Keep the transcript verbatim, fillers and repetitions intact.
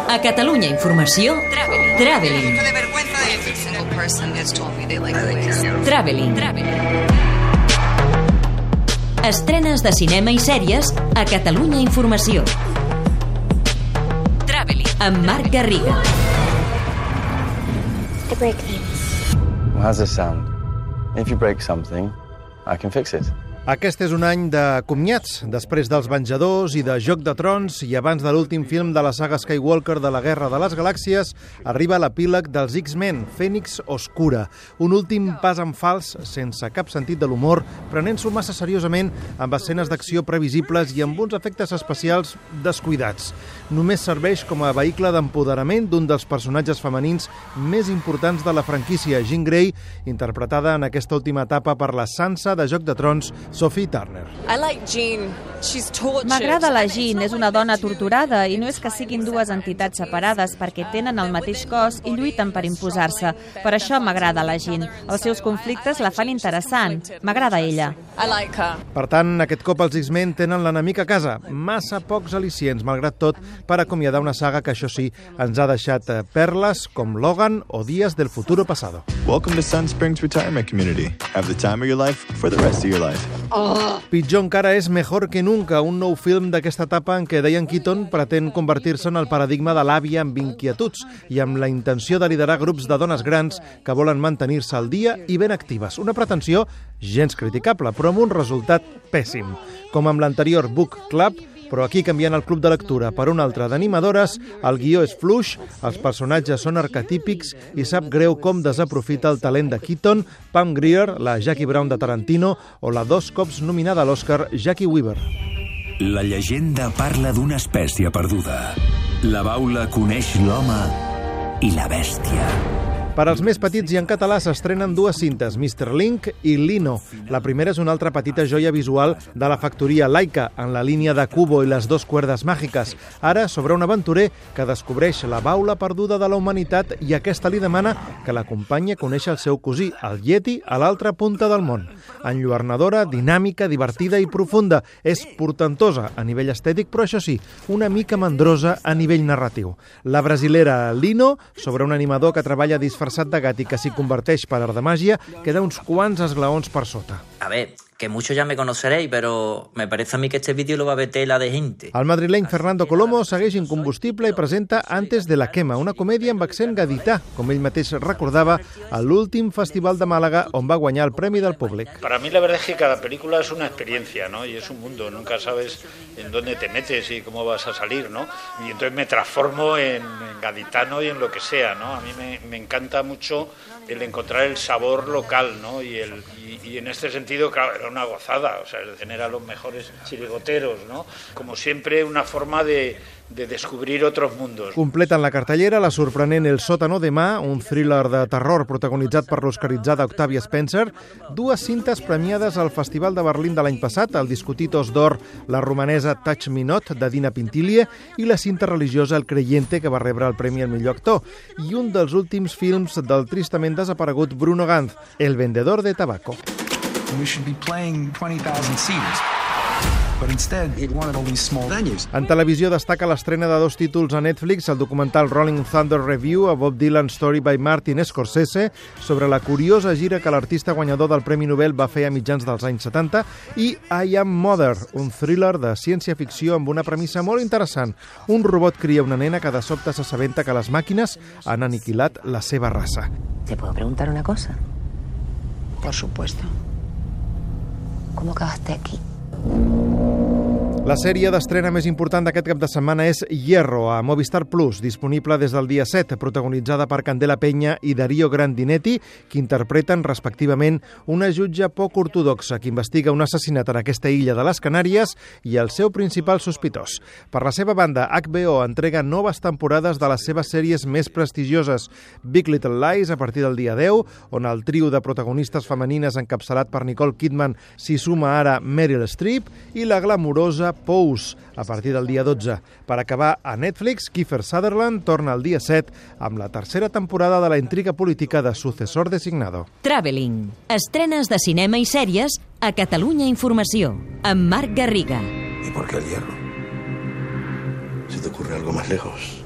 A Catalunya Informació, Traveling. Traveling. Estrenes de cinema i sèries a Catalunya Informació. Traveling. Amb Marc Garriga. I break things. Well, how's this sound? If you break something, I can fix it. Aquest és un any de comiats. Després dels Venjadors i de Joc de Trons i abans de l'últim film de la saga Skywalker de la Guerra de les Galàxies, arriba l'epíleg dels X-Men, Fènix Oscura. Un últim pas en fals, sense cap sentit de l'humor, prenent-s'ho massa seriosament amb escenes d'acció previsibles i amb uns efectes especials descuidats. Només serveix com a vehicle d'empoderament d'un dels personatges femenins més importants de la franquícia, Jean Grey, interpretada en aquesta última etapa per la Sansa de Joc de Trons, Sophie Turner. M'agrada la Jean, és una dona torturada i no és que siguin dues entitats separades perquè tenen el mateix cos i lluiten per imposar-se. Per això m'agrada la Jean. Els seus conflictes la fan interessant. M'agrada ella. Per tant, aquest cop els X-Men tenen l'enemic a casa. Massa pocs al·licients, malgrat tot, per acomiadar una saga que, això sí, ens ha deixat perles com Logan o Días del futuro pasado. Welcome to Sun Springs Retirement Community. Have the time of your life for the rest of your life. Oh. Pitjor encara és Mejor que nunca, un nou film d'aquesta etapa en què Diane Keaton pretén convertir-se en el paradigma de l'àvia amb inquietuds i amb la intenció de liderar grups de dones grans que volen mantenir-se al dia i ben actives. Una pretensió gens criticable, però amb un resultat pèssim. Com amb l'anterior Book Club, però aquí canviant el club de lectura per un altre d'animadores, el guió és fluix, els personatges són arquetípics i sap greu com desaprofita el talent de Keaton, Pam Grier, la Jackie Brown de Tarantino o la dos cops nominada a l'Oscar Jackie Weaver. La llegenda parla d'una espècie perduda. La baula coneix l'home i la bèstia. Per als més petits i en català s'estrenen dues cintes, mister Link i Lino. La primera és una altra petita joia visual de la factoria Laika, en la línia de Kubo i les dos cuerdes màgiques. Ara, sobre un aventurer que descobreix la baula perduda de la humanitat i aquesta li demana que l'acompanyi a conèixer el seu cosí, el Yeti, a l'altra punta del món. Enlluernadora, dinàmica, divertida i profunda. És portentosa a nivell estètic, però això sí, una mica mandrosa a nivell narratiu. La brasilera Lino, sobre un animador que treballa disfressat de gat i que s'hi converteix per art de màgia, queda uns quants esglaons per sota. A ver, que muchos ya me conoceréis, pero me parece a mí que este vídeo lo va a ver tela de gente. El madrileny Fernando Colomo segueix incombustible i presenta Antes de la quema, una comèdia amb accent gadità, com ell mateix recordava, a l'últim Festival de Màlaga, on va guanyar el Premi del Públic. Para mí la verdad es que cada película es una experiencia, ¿no? Y es un mundo, nunca sabes en dónde te metes y cómo vas a salir, ¿no? Y entonces me transformo en, en gaditano y en lo que sea, ¿no? A mí me, me encanta mucho el encontrar el sabor local, ¿no? Y, el, y, y en este sentido, claro, era una gozada, o sea, tener a los mejores chirigoteros, ¿no? Como siempre, una forma de, de descobrir otros mundos. Completen la cartellera la sorprenent El sòtano de mà, un thriller de terror protagonitzat per l'oscaritzada Octavia Spencer, dues cintes premiades al Festival de Berlín de l'any passat, el discutit Os d'Or, la romanesa Touch Me Not, de Dina Pintilie, i la cinta religiosa El creyente, que va rebre el Premi al millor actor, i un dels últims films del tristament desaparegut Bruno Ganz, El vendedor de tabaco. We should be playing twenty thousand seaters. But instead, it wanted all these small venues. En televisió destaca l'estrena de dos títols a Netflix, el documental Rolling Thunder Review, a Bob Dylan Story by Martin Scorsese, sobre la curiosa gira que l'artista guanyador del Premi Nobel va fer a mitjans dels anys setanta, i I Am Mother, un thriller de ciència-ficció amb una premissa molt interessant. Un robot cria una nena que de sobte s'assabenta que les màquines han aniquilat la seva raça. ¿Te puedo preguntar una cosa? Por supuesto. ¿Cómo acabaste aquí? La sèrie d'estrena més important d'aquest cap de setmana és Hierro, a Movistar Plus, disponible des del dia set, protagonitzada per Candela Peña i Darío Grandinetti, que interpreten respectivament una jutge poc ortodoxa que investiga un assassinat en aquesta illa de les Canàries i el seu principal sospitós. Per la seva banda, H B O entrega noves temporades de les seves sèries més prestigioses, Big Little Lies, a partir del dia deu, on el trio de protagonistes femenines encapçalat per Nicole Kidman s'hi suma ara Meryl Streep, i la glamurosa Pose, a partir del dia dotze. Per acabar, a Netflix, Kiefer Sutherland torna al dia set amb la tercera temporada de la intriga política de Sucesor Designado. Traveling. Estrenes de cinema i sèries a Catalunya Informació, amb Marc Garriga. ¿Y por qué el hierro? ¿Se te ocurre algo más lejos?